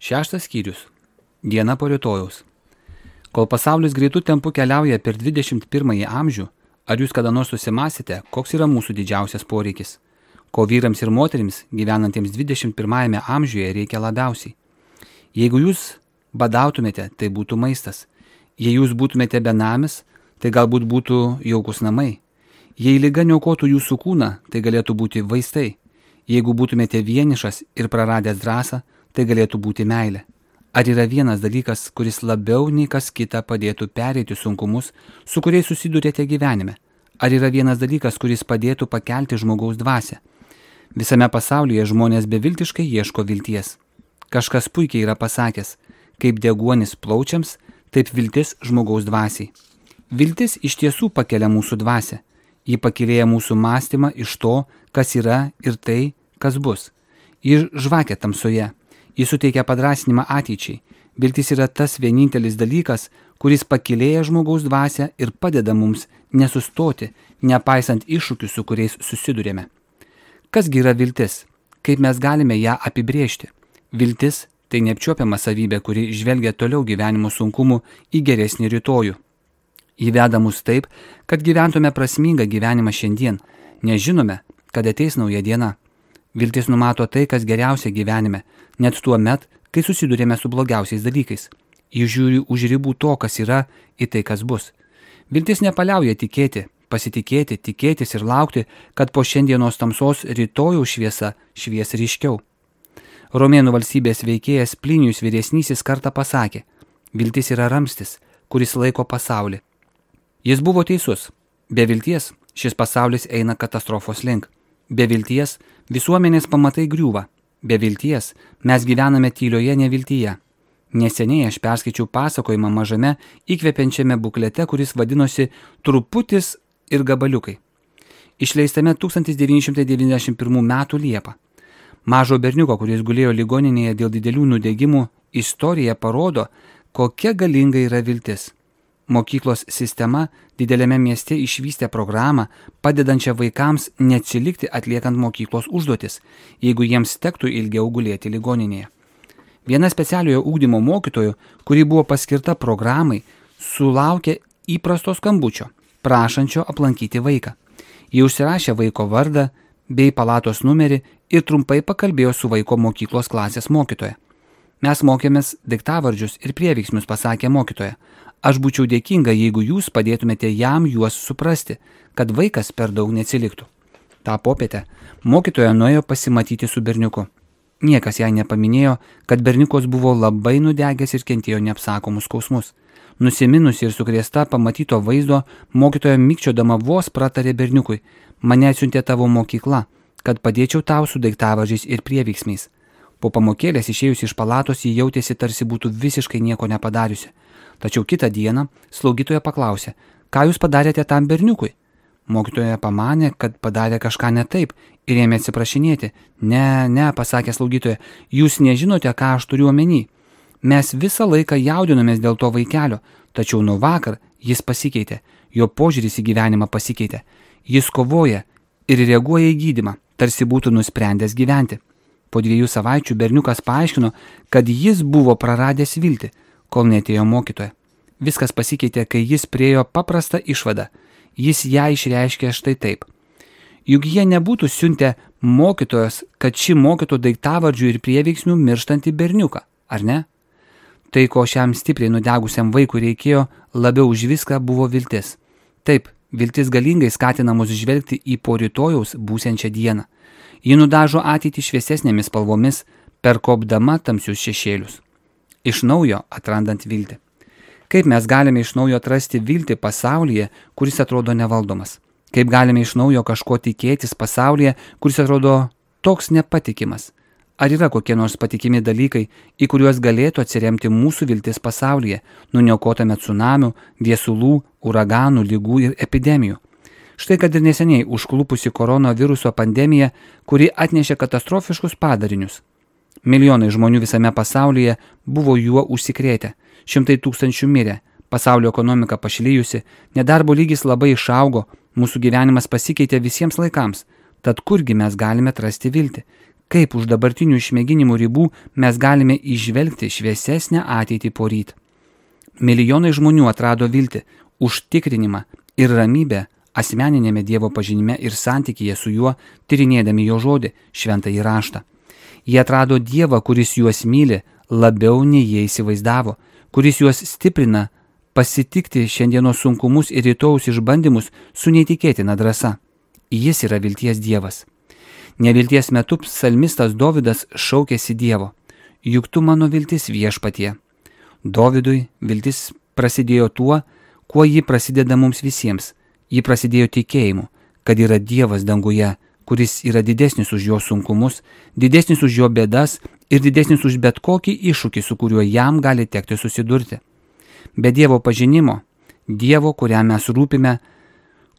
6 skyrius. Diena po rytojaus. Kol pasaulis greitų tempų keliauja per 21 amžių, ar jūs kada nors susimąstėte, koks yra mūsų didžiausias poreikis? Ko vyrams ir moterims gyvenantiems 21 amžiuje reikia labiausiai? Jeigu jūs badautumėte, tai būtų maistas. Jei jūs būtumėte benamis, tai galbūt būtų jaukus namai. Jei liga niokotų jūsų kūną, tai galėtų būti vaistai. Jeigu būtumėte vienišas ir praradęs drąsą, tai galėtų būti meilė. Ar yra vienas dalykas, kuris labiau nei kas kita padėtų pereiti sunkumus, su kuriais susidurėte gyvenime? Ar yra vienas dalykas, kuris padėtų pakelti žmogaus dvasią? Visame pasaulyje žmonės beviltiškai ieško vilties. Kažkas puikiai yra pasakęs, kaip deguonis plaučiams, taip viltis žmogaus dvasiai. Viltis iš tiesų pakelia mūsų dvasią. Ji pakilėja mūsų mąstymą iš to, kas yra ir tai, kas bus. Ji žvakia tamsoje. Ji suteikia padrąsinimą ateičiai. Viltis yra tas vienintelis dalykas, kuris pakilėja žmogaus dvasią ir padeda mums nesustoti, nepaisant iššūkių, su kuriais susidurėme. Kasgi yra viltis? Kaip mes galime ją apibrėžti? Viltis – tai neapčiuopiama savybė, kuri žvelgia toliau gyvenimo sunkumų į geresnį rytojų. Ji veda mus taip, kad gyventume prasmingą gyvenimą šiandien, nes žinome, kad ateis nauja diena. Viltis numato tai, kas geriausia gyvenime, net tuo met, kai susidurėme su blogiausiais dalykais. Ji žiūri už ribų to, kas yra, į tai, kas bus. Viltis nepaliauja tikėti, pasitikėti, tikėtis ir laukti, kad po šiandienos tamsos rytojaus šviesa švies ryškiau. Romėnų valstybės veikėjas Plinijus vyresnysis kartą pasakė, viltis yra ramstis, kuris laiko pasaulį. Jis buvo teisus. Be vilties šis pasaulis eina katastrofos link. Be vilties visuomenės pamatai griūva. Be vilties mes gyvename tylioje neviltyje. Neseniai aš perskaičiau pasakojimą mažame įkvepiančiame buklete, kuris vadinosi Truputis ir gabaliukai. Išleistame 1991 metų Liepą. Mažo berniuko, kuris gulėjo ligoninėje dėl didelių nudegimų, istorija parodo, kokia galinga yra viltis. Mokyklos sistema dideliame mieste išvystė programą, padedančią vaikams neatsilikti atliekant mokyklos užduotis, jeigu jiems tektų ilgiau gulėti ligoninėje. Viena specialiojo ugdymo mokytojų, kuri buvo paskirta programai, sulaukė įprasto skambučio, prašančio aplankyti vaiką. Ji užsirašė vaiko vardą bei palatos numerį ir trumpai pakalbėjo su vaiko mokyklos klasės mokytoja. Mes mokėmės daiktavardžius ir prieveiksmius, pasakė mokytoja. Aš būčiau dėkinga, jeigu jūs padėtumėte jam juos suprasti, kad vaikas per daug neatsiliktų. Ta popietę mokytoja nuėjo pasimatyti su berniuku. Niekas jai nepaminėjo, kad berniukas buvo labai nudegęs ir kentėjo neapsakomus skausmus. Nusiminusi ir sukrėsta pamatyto vaizdo, mokytoja mikčiodama vos pratarė berniukui, mane atsiuntė tavo mokykla, kad padėčiau tau su daiktavardžiais ir prieveiksmiais. Po pamokėlės išėjusi iš palatos ji jautėsi tarsi būtų visiškai nieko nepadariusi. Tačiau kitą dieną slaugytoja paklausė, ką jūs padarėte tam berniukui? Mokytoja pamanė, kad padarė kažką ne taip ir ėmė atsiprašinėti. Ne, pasakė slaugytoja, jūs nežinote, ką aš turiu omeny. Mes visą laiką jaudinomės dėl to vaikelio, tačiau nuo vakar jis pasikeitė, jo požiūris į gyvenimą pasikeitė. Jis kovoja ir reaguoja į gydymą, tarsi būtų nusprendęs gyventi. Po 2 savaičių berniukas paaiškino, kad jis buvo praradęs viltį, kol neatėjo mokytoja. Viskas pasikeitė, kai jis priėjo paprastą išvadą. Jis ją išreiškė štai taip. Juk jie nebūtų siuntę mokytojos, kad ši mokytų daiktavardžių ir prieveiksmių mirštantį berniuką, ar ne? Tai, ko šiam stipriai nudegusiam vaikui reikėjo, labiau už viską buvo viltis. Taip, viltis galingai skatina mus žvelgti į po rytojaus būsiančią dieną. Ji nudažo ateitį šviesesnėmis spalvomis, perkopdama tamsius šešėlius. Iš naujo atrandant viltį. Kaip mes galime iš naujo atrasti viltį pasaulyje, kuris atrodo nevaldomas? Kaip galime iš naujo kažko tikėtis pasaulyje, kuris atrodo toks nepatikimas? Ar yra kokie nors patikimi dalykai, į kuriuos galėtų atsiremti mūsų viltis pasaulyje, nuniokotame tsunamių, viesulų, uraganų, lygų ir epidemijų? Štai kad ir neseniai užklupusi koronaviruso pandemija, kuri atnešė katastrofiškus padarinius. Milijonai žmonių visame pasaulyje buvo juo užsikrėtę, 100 000 mirė, pasaulio ekonomika pašlijusi, nedarbo lygis labai išaugo, mūsų gyvenimas pasikeitė visiems laikams. Tad kurgi mes galime atrasti viltį? Kaip už dabartinių išmėginimų ribų mes galime įžvelgti šviesesnę ateitį poryt. Milijonai žmonių atrado viltį, užtikrinimą ir ramybę asmeninėme Dievo pažinime ir santykyje su juo, tyrinėdami jo žodį, šventąjį raštą. Jie atrado Dievą, kuris juos myli labiau nei jie įsivaizdavo, kuris juos stiprina pasitikti šiandienos sunkumus ir rytojaus išbandymus su neįtikėtina drąsa. Jis yra vilties Dievas. Nevilties metu psalmistas Dovydas šaukėsi Dievo: juk tu mano viltis viešpatie. Dovydui viltis prasidėjo tuo, kuo ji prasideda mums visiems. Ji prasidėjo tikėjimu, kad yra Dievas danguje, kuris yra didesnis už jo sunkumus, didesnis už jo bėdas ir didesnis už bet kokį iššūkį, su kuriuo jam gali tekti susidurti. Be Dievo pažinimo, Dievo, kuriam mes rūpime,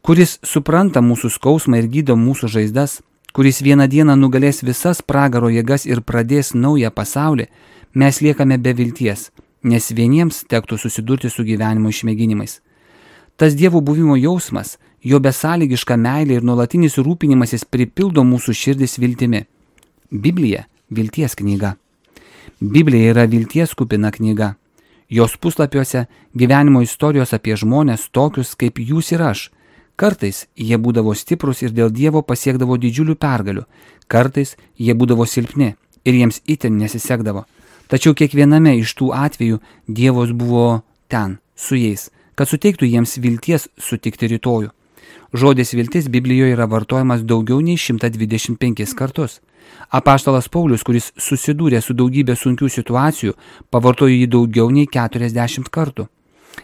kuris supranta mūsų skausmą ir gydo mūsų žaizdas, kuris vieną dieną nugalės visas pragaro jėgas ir pradės naują pasaulį, mes liekame be vilties, nes vieniems tektų susidurti su gyvenimo išmėginimais. Tas Dievo buvimo jausmas, jo besąlygiška meilė ir nuolatinis rūpinimasis pripildo mūsų širdis viltimi. Biblija – vilties knyga. Biblija yra vilties kupina knyga. Jos puslapiuose gyvenimo istorijos apie žmonės tokius kaip jūs ir aš. Kartais jie būdavo stiprus ir dėl Dievo pasiekdavo didžiulių pergalių. Kartais jie būdavo silpni ir jiems itin nesisekdavo. Tačiau kiekviename iš tų atvejų Dievas buvo ten, su jais, kad suteiktų jiems vilties sutikti rytojų. Žodis viltis Biblijoje yra vartojamas daugiau nei 125 kartus. Apaštalas Paulius, kuris susidūrė su daugybė sunkių situacijų, pavartojo jį daugiau nei 40 kartų.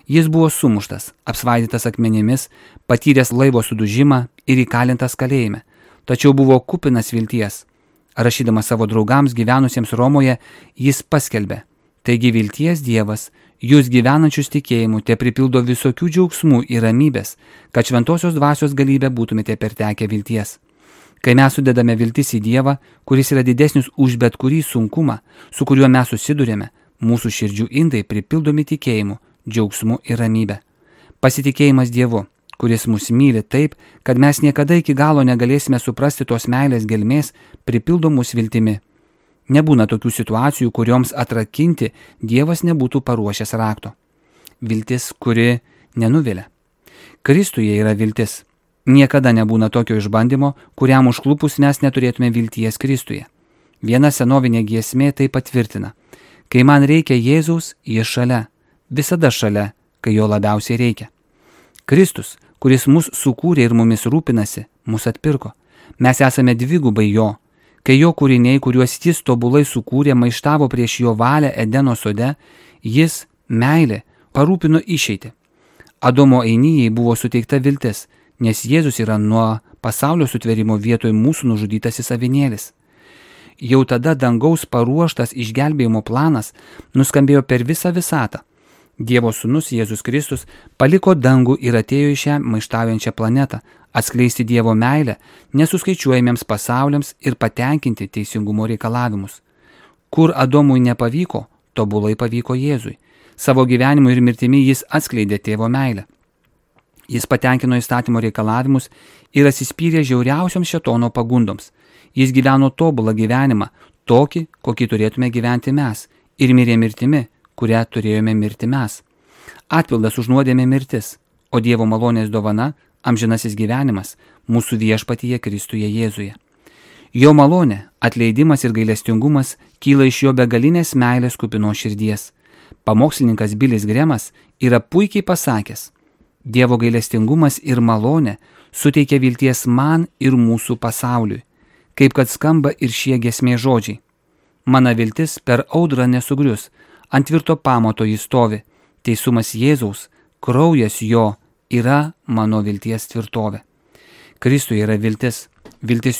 Jis buvo sumuštas, apsvaidytas akmenimis, patyręs laivo sudužimą ir įkalintas kalėjime, tačiau buvo kupinas vilties. Rašydamas savo draugams gyvenusiems Romoje, jis paskelbė: taigi vilties Dievas, jūs gyvenančius tikėjimu, te pripildo visokių džiaugsmų ir ramybės, kad šventosios dvasios galybę būtumėte pertekę vilties. Kai mes sudedame viltis į Dievą, kuris yra didesnis už bet kurį sunkumą, su kuriuo mes susidurėme, mūsų širdžių indai pripildomi tikėjimu, džiaugsmu ir ramybė. Pasitikėjimas Dievu, kuris mus myli taip, kad mes niekada iki galo negalėsime suprasti tos meilės gelmės, pripildo mus viltimi. Nebūna tokių situacijų, kurioms atrakinti Dievas nebūtų paruošęs rakto. Viltis, kuri nenuvilia. Kristuje yra viltis. Niekada nebūna tokio išbandymo, kuriam užklupus mes neturėtume vilties Kristuje. Viena senovinė giesmė tai patvirtina. Kai man reikia Jėzaus, jis šalia. Visada šalia, kai jo labiausiai reikia. Kristus, kuris mus sukūrė ir mumis rūpinasi, mus atpirko. Mes esame dvigubai jo. Kai jo kūriniai, kuriuos jis tobulai sukūrė, maištavo prieš jo valią Edeno sode, jis, meilė, parūpino išeitį. Adomo einijai buvo suteikta viltis, nes Jėzus yra nuo pasaulio sutvėrimo vietoj mūsų nužudytasis avinėlis. Jau tada dangaus paruoštas išgelbėjimo planas nuskambėjo per visą visatą. Dievo sūnus Jėzus Kristus paliko dangų ir atėjo į šią maištaujančią planetą, atskleisti Dievo meilę nesuskaičiuojamiems pasauliams ir patenkinti teisingumo reikalavimus. Kur Adomui nepavyko, tobulai pavyko Jėzui. Savo gyvenimu ir mirtimi jis atskleidė tėvo meilę. Jis patenkino įstatymo reikalavimus ir atsispyrė žiauriausioms šėtono pagundoms. Jis gyveno tobulą gyvenimą, tokį, kokį turėtume gyventi mes, ir mirė mirtimi, kurią turėjome mirti mes. Atpildas už nuodėmę mirtis, o Dievo malonės dovana – amžinasis gyvenimas mūsų viešpatyje Kristuje Jėzuje. Jo malonė, atleidimas ir gailestingumas kyla iš jo begalinės meilės kupinos širdies. Pamokslininkas Bilis Gremas yra puikiai pasakęs: Dievo gailestingumas ir malonė suteikia vilties man ir mūsų pasauliui, kaip kad skamba ir šie giesmės žodžiai. Mano viltis per audrą nesugrius, ant tvirto pamato jis stovi, teisumas Jėzaus, kraujas jo yra mano vilties tvirtovė. Kristuje yra viltis,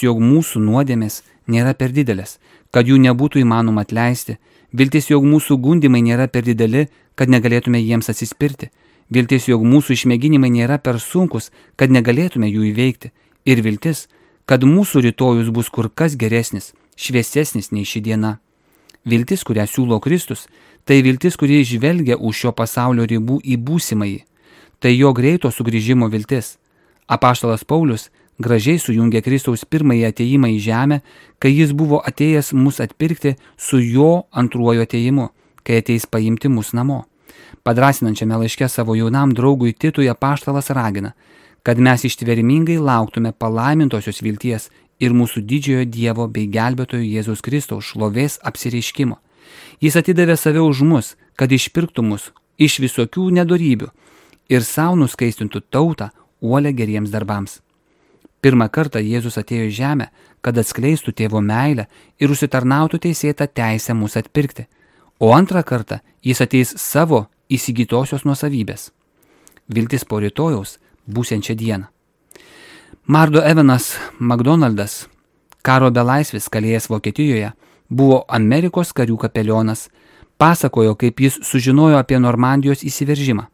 jog mūsų nuodėmės nėra per didelės, kad jų nebūtų įmanoma atleisti, viltis, jog mūsų gundimai nėra per dideli, kad negalėtume jiems atsispirti, viltis, jog mūsų išmėginimai nėra per sunkus, kad negalėtume jų įveikti, ir viltis, kad mūsų rytojus bus kur kas geresnis, šviesesnis nei ši diena. Viltis, kurią siūlo Kristus, tai viltis, kuri žvelgia už šio pasaulio ribų į būsimąjį. Tai jo greito sugrįžimo viltis. Apaštalas Paulius gražiai sujungė Kristaus pirmąjį atėjimą į žemę, kai jis buvo atėjęs mus atpirkti su jo antruoju atėjimu, kai ateis paimti mus namo. Padrasinančiame laiške savo jaunam draugui Titui apaštalas ragina, kad mes ištvermingai lauktume palaimintosios vilties ir mūsų didžiojo Dievo bei gelbėtojo Jėzaus Kristaus šlovės apsireiškimo. Jis atidavė save už mus, kad išpirktų mus iš visokių nedorybių ir savo nuskaistintų tautą uolę geriems darbams. Pirmą kartą Jėzus atėjo į žemę, kad atskleistų tėvo meilę ir užsitarnautų teisėtą teisę mus atpirkti, o antrą kartą jis ateis savo įsigytosios nuosavybės. Viltis po rytojaus būsiančią dieną. Mardo Evanas McDonaldas, karo belaisvis kalėjęs Vokietijoje, buvo Amerikos karių kapelionas, pasakojo, kaip jis sužinojo apie Normandijos įsiveržimą.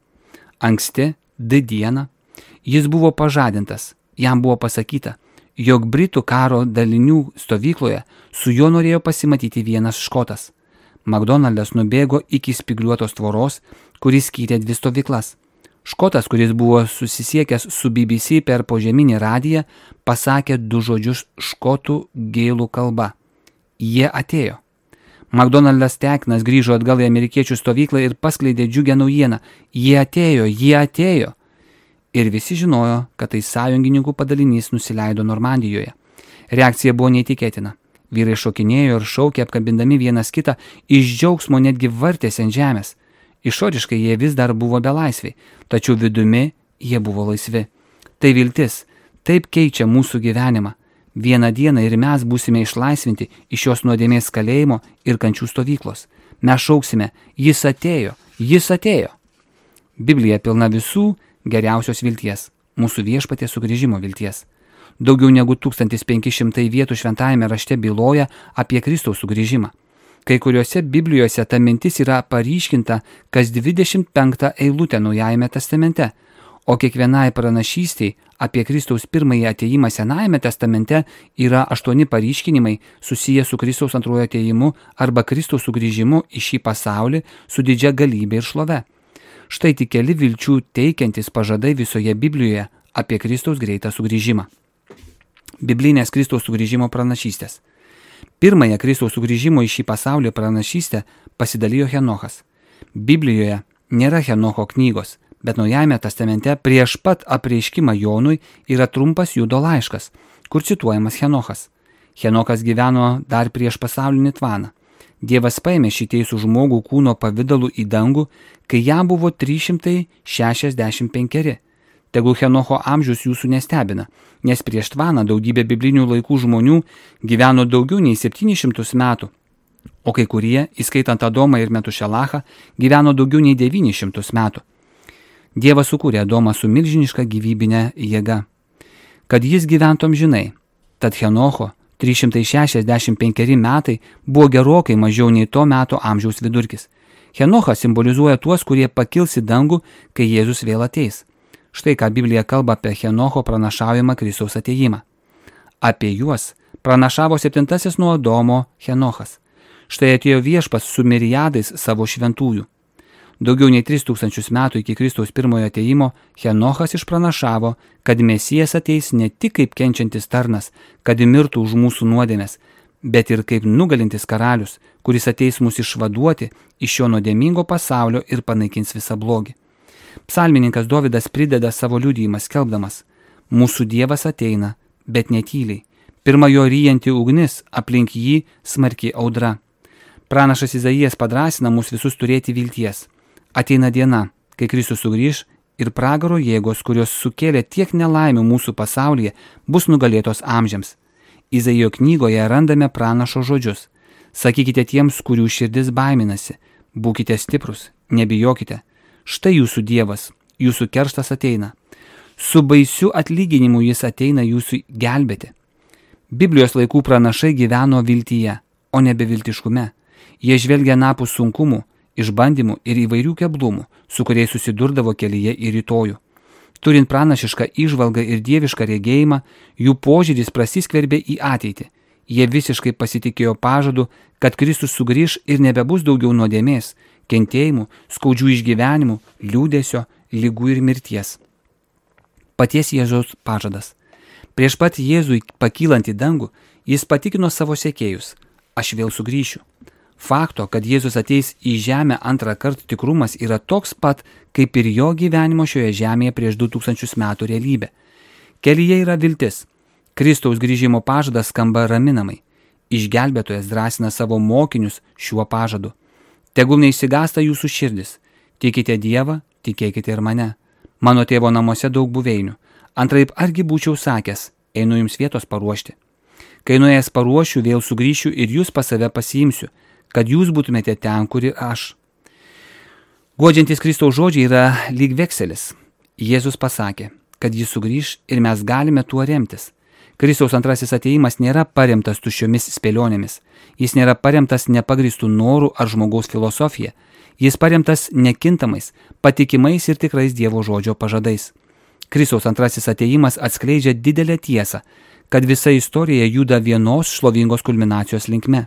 Anksti, dieną, jis buvo pažadintas, jam buvo pasakyta, jog Britų karo dalinių stovykloje su juo norėjo pasimatyti vienas škotas. McDonaldas nubėgo iki spygliuotos tvoros, kuris skyrė dvi stovyklas. Škotas, kuris buvo susisiekęs su BBC per požeminį radiją, pasakė du žodžius škotų gėlų kalba. Jie atėjo. McDonaldas tekinas grįžo atgal į amerikiečių stovyklą ir paskleidė džiugę naujieną. Jie atėjo. Ir visi žinojo, kad tai sąjungininkų padalinys nusileido Normandijoje. Reakcija buvo neįtikėtina. Vyrai šokinėjo ir šaukė, apkabindami vienas kitą, iš džiaugsmo netgi vartėsi ant žemės. Išoriškai jie vis dar buvo belaisviai, tačiau vidumi jie buvo laisvi. Tai viltis, taip keičia mūsų gyvenimą. Vieną dieną ir mes būsime išlaisvinti iš šios nuodėmės kalėjimo ir kančių stovyklos. Mes šauksime, jis atėjo. Biblija pilna visų geriausios vilties, mūsų Viešpaties sugrįžimo vilties. Daugiau negu 1500 vietų šventajame rašte byloja apie Kristaus sugrįžimą. Kai kuriuose Biblijose ta mintis yra paryškinta kas 25 eilutę Naujajame testamente, o kiekvienai pranašystei apie Kristaus pirmąjį atėjimą Senajame testamente yra 8 paryškinimai susiję su Kristaus antruoju atėjimu arba Kristaus sugrįžimu į šį pasaulį su didžia galybė ir šlove. Štai tik keli vilčių teikiantis pažadai visoje Biblijoje apie Kristaus greitą sugrįžimą. Biblinės Kristaus sugrįžimo pranašystės. Pirmąją Kristaus sugrįžimo į šį pasaulį pranašystę pasidalijo Henochas. Biblijoje nėra Henocho knygos, bet Naujajame testamente prieš pat apreiškimą Jonui yra trumpas Judo laiškas, kur cituojamas Henochas. Henochas gyveno dar prieš pasaulinį tvaną. Dievas paėmė šį teisų žmogų kūno pavidalu į dangų, kai jam buvo 365. Tegul Henocho amžius jūsų nestebina, nes prieš tvaną daugybė biblinių laikų žmonių gyveno daugiau nei 700 metų, o kai kurie, įskaitant Adomą ir Metušelachą, gyveno daugiau nei 900 metų. Dievas sukūrė Adomą su milžiniška gyvybinė jėga, kad jis gyventų amžinai. Tad Henocho 365 metai buvo gerokai mažiau nei to meto amžiaus vidurkis. Henochas simbolizuoja tuos, kurie pakils į dangų, kai Jėzus vėl ateis. Štai ką Biblija kalba apie Henocho pranašaujamą Kristaus atėjimą. Apie juos pranašavo 7 nuo Adomo Henochas. Štai atėjo Viešpats su miriadais savo šventųjų. Daugiau nei 3000 metų iki Kristaus pirmojo atėjimo Henochas išpranašavo, kad Mesijas ateis ne tik kaip kenčiantis tarnas, kad mirtų už mūsų nuodėmes, bet ir kaip nugalintis karalius, kuris ateis mus išvaduoti iš šio nuodėmingo pasaulio ir panaikins visą blogį. Psalmininkas Dovydas prideda savo liudijimą skelbdamas: mūsų Dievas ateina, bet netyliai. Pirma jo ryjanti ugnis, aplink jį smarki audra. Pranašas Izaijas padrasina mus visus turėti vilties. Ateina diena, kai Kristus sugrįž ir pragaro jėgos, kurios sukėlė tiek nelaimių mūsų pasaulyje, bus nugalėtos amžiams. Izaijo knygoje randame pranašo žodžius: sakykite tiems, kurių širdis baiminasi, būkite stiprus, nebijokite. Štai jūsų Dievas, jūsų kerštas ateina. Su baisiu atlyginimu jis ateina jūsų gelbėti. Biblijos laikų pranašai gyveno viltyje, o ne beviltiškume. Jie žvelgia napus sunkumų, išbandymų ir įvairių keblumų, su kuriais susidurdavo kelyje į rytojų. Turint pranašišką įžvalgą ir dievišką regėjimą, jų požiūris prasiskverbė į ateitį. Jie visiškai pasitikėjo pažadu, kad Kristus sugrįž ir nebebus daugiau nuodėmės, kentėjimų, skaudžių išgyvenimų, liūdesio, ligų ir mirties. Paties Jėzaus pažadas. Prieš pat Jėzui pakylant į dangų, jis patikino savo sekėjus: aš vėl sugrįšiu. Fakto, kad Jėzus ateis į žemę antrą kartą tikrumas yra toks pat, kaip ir jo gyvenimo šioje žemėje prieš 2000 metų realybė. Kelyje yra viltis. Kristaus grįžimo pažadas skamba raminamai. Išgelbėtojas drąsina savo mokinius šiuo pažadu. Tegul neišsigąsta jūsų širdis. Tikite Dievą, tikėkite ir mane. Mano tėvo namuose daug buveinių. Antraip argi būčiau sakęs, einu jums vietos paruošti. Kai nuėjęs paruošiu, vėl sugrįšiu ir jūs pas save pasiimsiu, kad jūs būtumėte ten, kur ir aš. Guodžiantis Kristaus žodžiai yra lyg vekselis. Jėzus pasakė, kad jis sugrįš ir mes galime tuo remtis. Kristaus antrasis atėjimas nėra paremtas tuščiomis spėlionėmis. Jis nėra paremtas nepagristų norų ar žmogaus filosofija. Jis paremtas nekintamais, patikimais ir tikrais Dievo žodžio pažadais. Kristaus antrasis atėjimas atskleidžia didelę tiesą, kad visa istorija juda vienos šlovingos kulminacijos linkme.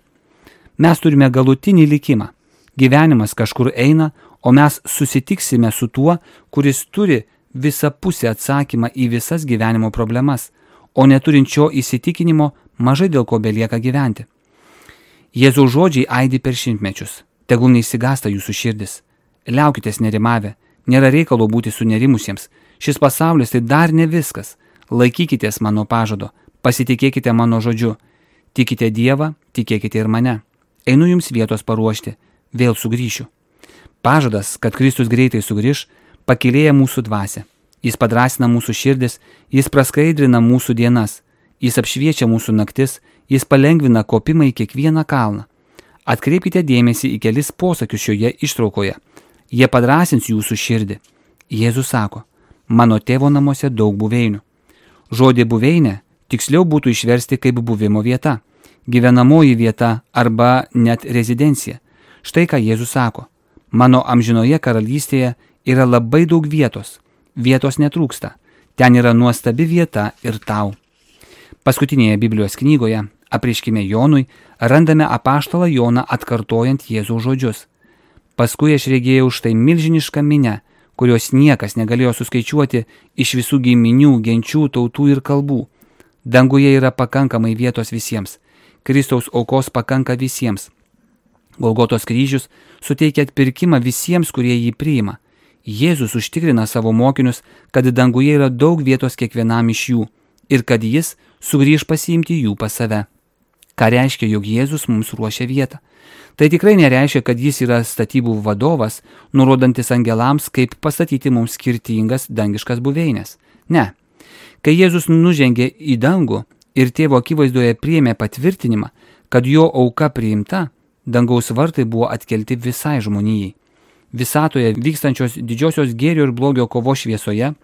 Mes turime galutinį likimą. Gyvenimas kažkur eina, o mes susitiksime su tuo, kuris turi visapusį atsakymą į visas gyvenimo problemas, o neturinčio įsitikinimo mažai dėl ko belieka gyventi. Jėzaus žodžiai aidi per šimtmečius. Tegul neišsigąsta jūsų širdis. Liaukitės nerimavę. Nėra reikalo būti sunerimusiems. Šis pasaulis tai dar ne viskas. Laikykitės mano pažado. Pasitikėkite mano žodžiu. Tikite Dievą, tikėkite ir mane. Einu jums vietos paruošti. Vėl sugrįšiu. Pažadas, kad Kristus greitai sugrįš, pakylėja mūsų dvasią. Jis padrasina mūsų širdis, jis praskaidrina mūsų dienas, jis apšviečia mūsų naktis, jis palengvina kopimą į kiekvieną kalną. Atkreipkite dėmesį į kelis posakius šioje ištraukoje. Jie padrasins jūsų širdį. Jėzus sako, mano tėvo namuose daug buveinių. Žodį buveinė tiksliau būtų išversti kaip buvimo vieta, gyvenamoji vieta arba net rezidencija. Štai ką Jėzus sako, mano amžinoje karalystėje yra labai daug vietos. Vietos netrūksta. Ten yra nuostabi vieta ir tau. Paskutinėje Biblijos knygoje, Apreiškime Jonui, randame apaštalą Joną atkartojant Jėzaus žodžius. Paskui aš regėjau štai milžinišką minią, kurios niekas negalėjo suskaičiuoti iš visų giminių, genčių, tautų ir kalbų. Danguje yra pakankamai vietos visiems. Kristaus aukos pakanka visiems. Golgotos kryžius suteikia atpirkimą visiems, kurie jį priima. Jėzus užtikrina savo mokinius, kad danguje yra daug vietos kiekvienam iš jų ir kad jis sugrįž pasiimti jų pas save. Ką reiškia, jog Jėzus mums ruošia vietą? Tai tikrai nereiškia, kad jis yra statybų vadovas, nurodantis angelams, kaip pastatyti mums skirtingas dangiškas buveinės. Ne. Kai Jėzus nužengė į dangų ir tėvo akivaizdoje priėmė patvirtinimą, kad jo auka priimta, dangaus vartai buvo atkelti visai žmonijai. Visatoje vykstančios didžiosios gėrio ir blogio kovos šviesoje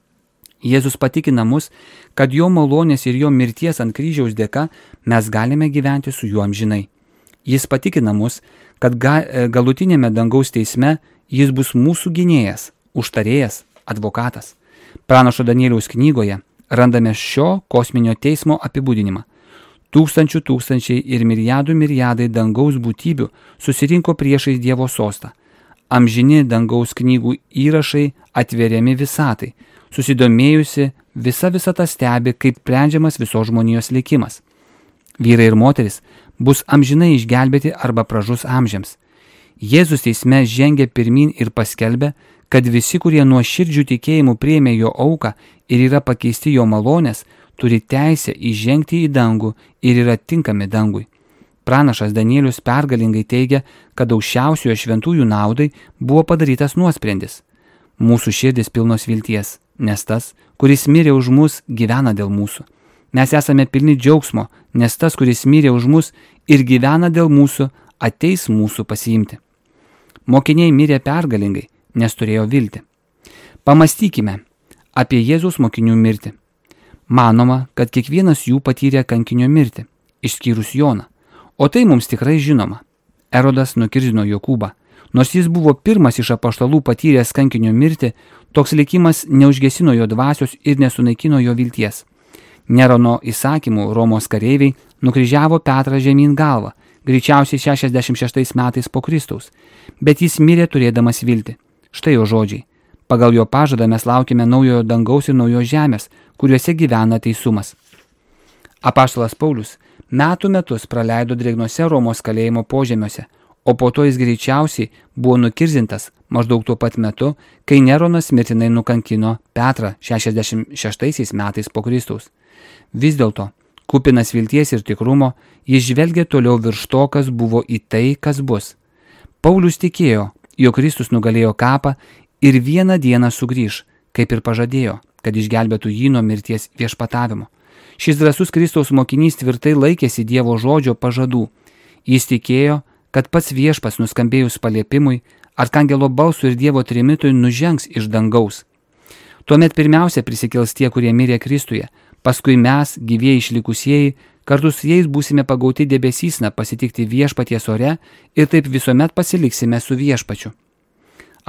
Jėzus patikina mus, kad jo malonės ir jo mirties ant kryžiaus dėka mes galime gyventi su juo amžinai. Jis patikina mus, kad galutinėme dangaus teisme jis bus mūsų gynėjas, užtarėjas, advokatas. Pranašo Danieliaus knygoje randame šio kosminio teismo apibūdinimą. Tūkstančiai ir milijardai dangaus būtybių susirinko priešais Dievo sostą. Amžini dangaus knygų įrašai atveriami visatai. Susidomėjusi visa visata stebi, kaip sprendžiamas visos žmonijos likimas. Vyrai ir moteris bus amžinai išgelbėti arba pražus amžiams. Jėzus teisme žengia pirmin ir paskelbia, kad visi, kurie nuo širdžių tikėjimų priėmė jo auką ir yra pakeisti jo malonės, turi teisę įžengti į dangų ir yra tinkami dangui. Pranašas Danielius pergalingai teigia, kad aukščiausiojo šventųjų naudai buvo padarytas nuosprendis. Mūsų širdis pilnos vilties, nes tas, kuris mirė už mus, gyvena dėl mūsų. Mes esame pilni džiaugsmo, nes tas, kuris mirė už mus ir gyvena dėl mūsų, ateis mūsų pasiimti. Mokiniai mirė pergalingai, nes turėjo viltį. Pamastykime apie Jėzaus mokinių mirtį. Manoma, kad kiekvienas jų patyrė kankinio mirtį, išskyrus Joną. O tai mums tikrai žinoma. Erodas nukirzino Jokūbą. Nors jis buvo pirmas iš apaštalų patyręs kankinio mirtį, toks likimas neužgesino jo dvasios ir nesunaikino jo vilties. Nerono įsakymų Romos kareiviai nukryžiavo Petrą žemyn galvą, greičiausiai 66 metais po Kristaus, bet jis mirė turėdamas viltį. Štai jo žodžiai. Pagal jo pažadą mes laukime naujojo dangaus ir naujos žemės, kuriuose gyvena teisumas. Apaštalas Paulius metų metus praleido drėgnose Romos kalėjimo požemiuose, o po to jis greičiausiai buvo nukirzintas maždaug tuo pat metu, kai Neronas mirtinai nukankino Petrą 66 metais po Kristaus. Vis dėlto, kupinas vilties ir tikrumo, jis žvelgė toliau virš to, kas buvo į tai, kas bus. Paulius tikėjo, jog Kristus nugalėjo kapą ir vieną dieną sugrįš, kaip ir pažadėjo, kad išgelbėtų jį nuo mirties viešpatavimo. Šis drąsus Kristaus mokinys tvirtai laikėsi Dievo žodžio pažadų. Jis tikėjo, kad pats viešpas nuskambėjus paliepimui, arkangelo balsui ir Dievo trimitui nužengs iš dangaus. Tuomet pirmiausia prisikels tie, kurie mirė Kristuje, paskui mes, gyvieji išlikusieji, kartu su jais būsime pagauti debesysna pasitikti viešpaties ore ir taip visuomet pasiliksime su viešpačiu.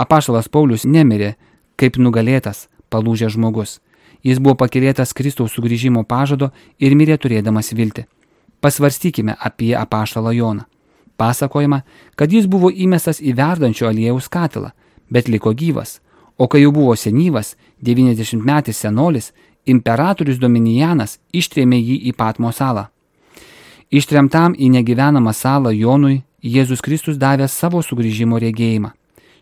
Apaštalas Paulius nemirė kaip nugalėtas, palūžęs žmogus. Jis buvo pakylėtas Kristaus sugrįžimo pažado ir mirė turėdamas viltį. Pasvarstykime apie apaštalą Joną. Pasakojama, kad jis buvo įmestas į verdančio aliejaus katilą, bet liko gyvas, o kai jau buvo senyvas, 90-metis senolis, imperatorius Dominijanas ištrėmė jį į Patmo salą. Ištremtam į negyvenamą salą Jonui Jėzus Kristus davė savo sugrįžimo regėjimą.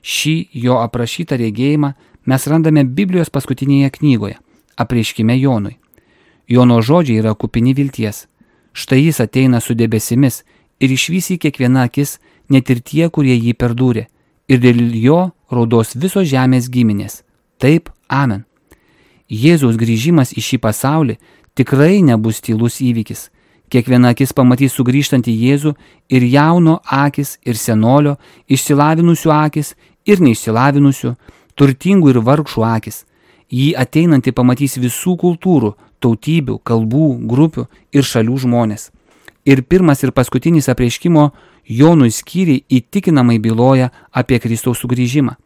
Šį jo aprašytą regėjimą mes randame Biblijos paskutinėje knygoje, Apreiškime Jonui. Jono žodžiai yra kupini vilties. Štai jis ateina su debesimis ir išvys į kiekvieną akis, net ir tie, kurie jį perdūrė, ir dėl jo raudos visos žemės giminės. Taip, amen. Jėzaus grįžimas į šį pasaulį tikrai nebus tylus įvykis. Kiekviena akis pamatys sugrįžtantį Jėzų ir jauno akis ir senolio, išsilavinusių akis ir neišsilavinusių, turtingų ir vargšų akis. Jį ateinantį pamatys visų kultūrų, tautybių, kalbų, grupių ir šalių žmonės. Ir pirmas ir paskutinis apreiškimo Jonui skyriai įtikinamai byloja apie Kristaus sugrįžimą.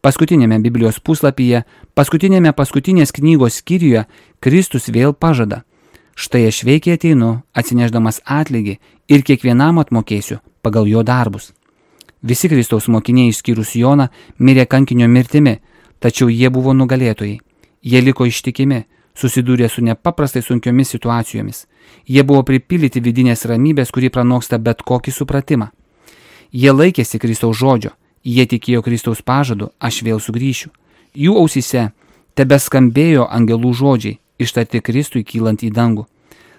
Paskutinėme Biblijos puslapyje, paskutinės knygos skyriuje Kristus vėl pažada: štai aš veikiai ateinu, atsinešdamas atlygį ir kiekvienam atmokėsiu pagal jo darbus. Visi Kristaus mokiniai išskyrus Joną mirė kankinio mirtimi, tačiau jie buvo nugalėtojai. Jie liko ištikimi, susidūrė su nepaprastai sunkiomis situacijomis. Jie buvo pripildyti vidinės ramybės, kuri pranoksta bet kokį supratimą. Jie laikėsi Kristaus žodžio, jie tikėjo Kristaus pažadu, aš vėl sugrįšiu. Jų ausyse tebeskambėjo angelų žodžiai, ištarti Kristui kylant į dangų.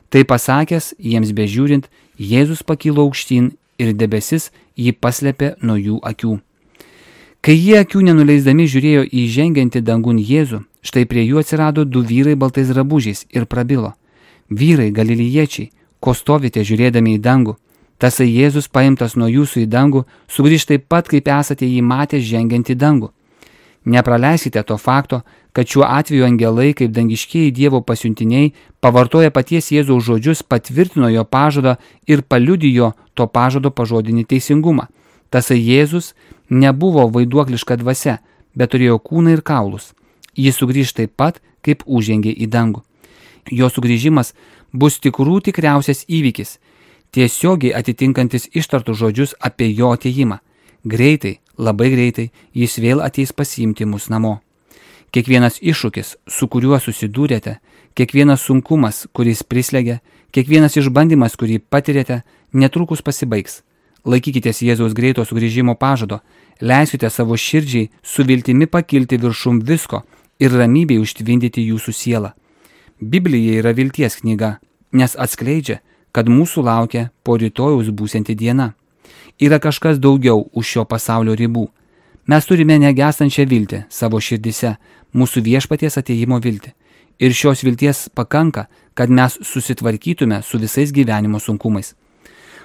Tai pasakęs, jiems bežiūrint, Jėzus pakilo aukštyn ir debesis jį paslėpė nuo jų akių. Kai jie akių nenuleisdami žiūrėjo į žengiantį dangun Jėzų, štai prie jų atsirado du vyrai baltais drabužiais ir prabilo: vyrai galiliečiai, ko stovite žiūrėdami į dangų? Tasai Jėzus paimtas nuo jūsų į dangų sugrįš taip pat, kaip esate jį matę žengiant į dangų. Nepraleiskite to fakto, kad šiuo atveju angelai, kaip dangiškieji Dievo pasiuntiniai, pavartoja paties Jėzaus žodžius, patvirtino jo pažadą ir paliudijo to pažado pažodinį teisingumą. Tasai Jėzus nebuvo vaiduokliška dvasia, bet turėjo kūną ir kaulus. Jis sugrįž taip pat, kaip užžengė į dangų. Jo sugrįžimas bus tikriausias įvykis, tiesiogiai atitinkantis ištartus žodžius apie jo atėjimą. Greitai, labai greitai jis vėl ateis pasiimti mus namo. Kiekvienas iššūkis, su kuriuo susidūrėte, kiekvienas sunkumas, kuris prislegia, kiekvienas išbandymas, kurį patirėte, netrukus pasibaigs. Laikykitės Jėzaus greito sugrįžimo pažado, leiskite savo širdžiai su viltimi pakilti viršum visko ir ramybei užtvindyti jūsų sielą. Biblija yra vilties knyga, nes atskleidžia, kad mūsų laukia po rytojaus būsianti diena. Yra kažkas daugiau už šio pasaulio ribų. Mes turime negestančią viltį savo širdise, mūsų viešpaties atėjimo viltį. Ir šios vilties pakanka, kad mes susitvarkytume su visais gyvenimo sunkumais.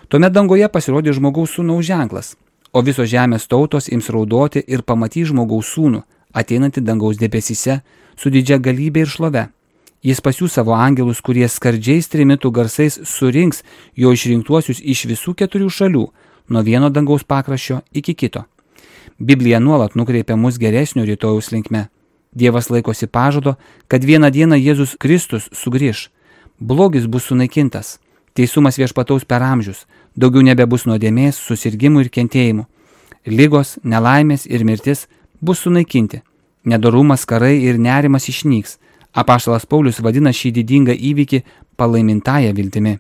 Tuomet dangoje pasirodė žmogaus sūnaus ženklas, o visos žemės tautos ims raudoti ir pamatys žmogaus sūnų, ateinantį dangaus debesyse su didžia galybė ir šlove. Jis pasiųs savo angelus, kurie skardžiais trimitų garsais surinks jo išrinktuosius iš visų 4 šalių, nuo vieno dangaus pakraščio iki kito. Biblija nuolat nukreipia mus geresnio rytojaus linkme. Dievas laikosi pažado, kad vieną dieną Jėzus Kristus sugrįš. Blogis bus sunaikintas, teisumas viešpataus per amžius, daugiau nebebus nuodėmės, susirgimų ir kentėjimų. Ligos, nelaimės ir mirtis bus sunaikinti. Nedorumas, karai ir nerimas išnyks. Apaštalas Paulius vadina šį didingą įvykį palaimintąją viltimi.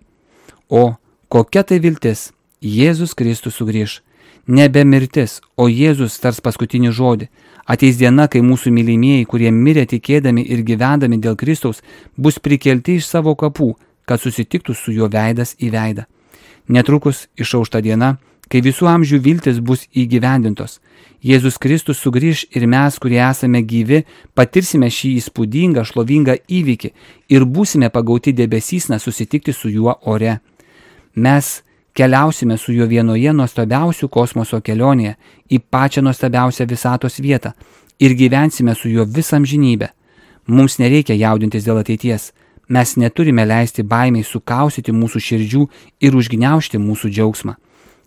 O kokia tai viltis? Jėzus Kristus sugrįš. Nebe mirtis, o Jėzus tars paskutinį žodį. Ateis diena, kai mūsų mylimieji, kurie mirė tikėdami ir gyvendami dėl Kristaus, bus prikelti iš savo kapų, kad susitiktų su juo veidas į veidą. Netrukus išauš ta diena, kai visų amžių viltis bus įgyvendintos. Jėzus Kristus sugrįš ir mes, kurie esame gyvi, patirsime šį įspūdingą, šlovingą įvykį ir būsime pagauti debesysna susitikti su juo ore. Mes keliausime su juo vienoje nuostabiausių kosmoso kelionėje į pačią nuostabiausią visatos vietą ir gyvensime su juo visą amžinybę. Mums nereikia jaudintis dėl ateities. Mes neturime leisti baimiai sukausyti mūsų širdžių ir užgniaužti mūsų džiaugsmą.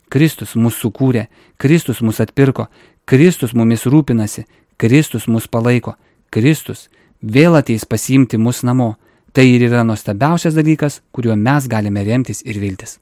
Kristus mus sukūrė, Kristus mus atpirko, Kristus mumis rūpinasi, Kristus mus palaiko, Kristus vėl ateis pasiimti mus namo. Tai ir yra nuostabiausias dalykas, kuriuo mes galime remtis ir viltis.